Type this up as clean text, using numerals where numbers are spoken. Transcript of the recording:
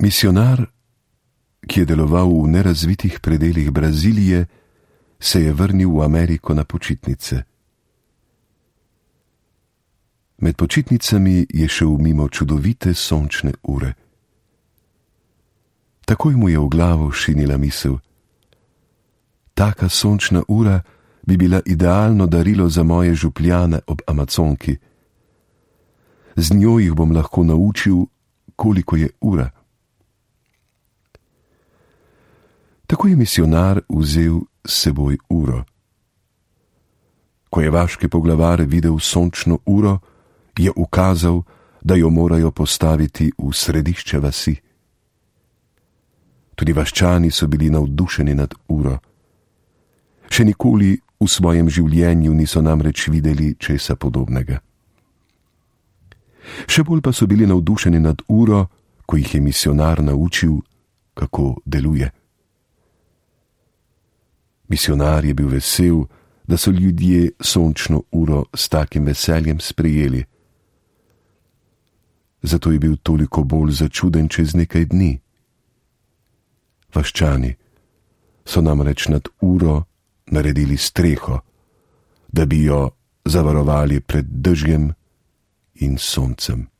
Misionar, ki je deloval v nerazvitih predelih Brazilije, se je vrnil v Ameriko na počitnice. Med počitnicami je šel mimo čudovite sončne ure. Takoj mu je v glavo šinila misel: taka sončna ura bi bila idealno darilo za moje župljane ob Amazonki. Z njo jih bom lahko naučil, koliko je ura. Tako je misionar vzel s seboj uro. Ko je vaški poglavar videl sončno uro, je ukazal, da jo morajo postaviti v središče vasi. Tudi vaščani so bili navdušeni nad uro. Še nikoli v svojem življenju niso namreč videli česa podobnega. Še bolj pa so bili navdušeni nad uro, ko jih je misionar naučil, kako deluje. Misionar je bil vesel, da so ljudje sončno uro s takim veseljem sprejeli. Zato je bil toliko bolj začuden čez nekaj dni. Vaščani so namreč nad uro naredili streho, da bi jo zavarovali pred dežjem in soncem.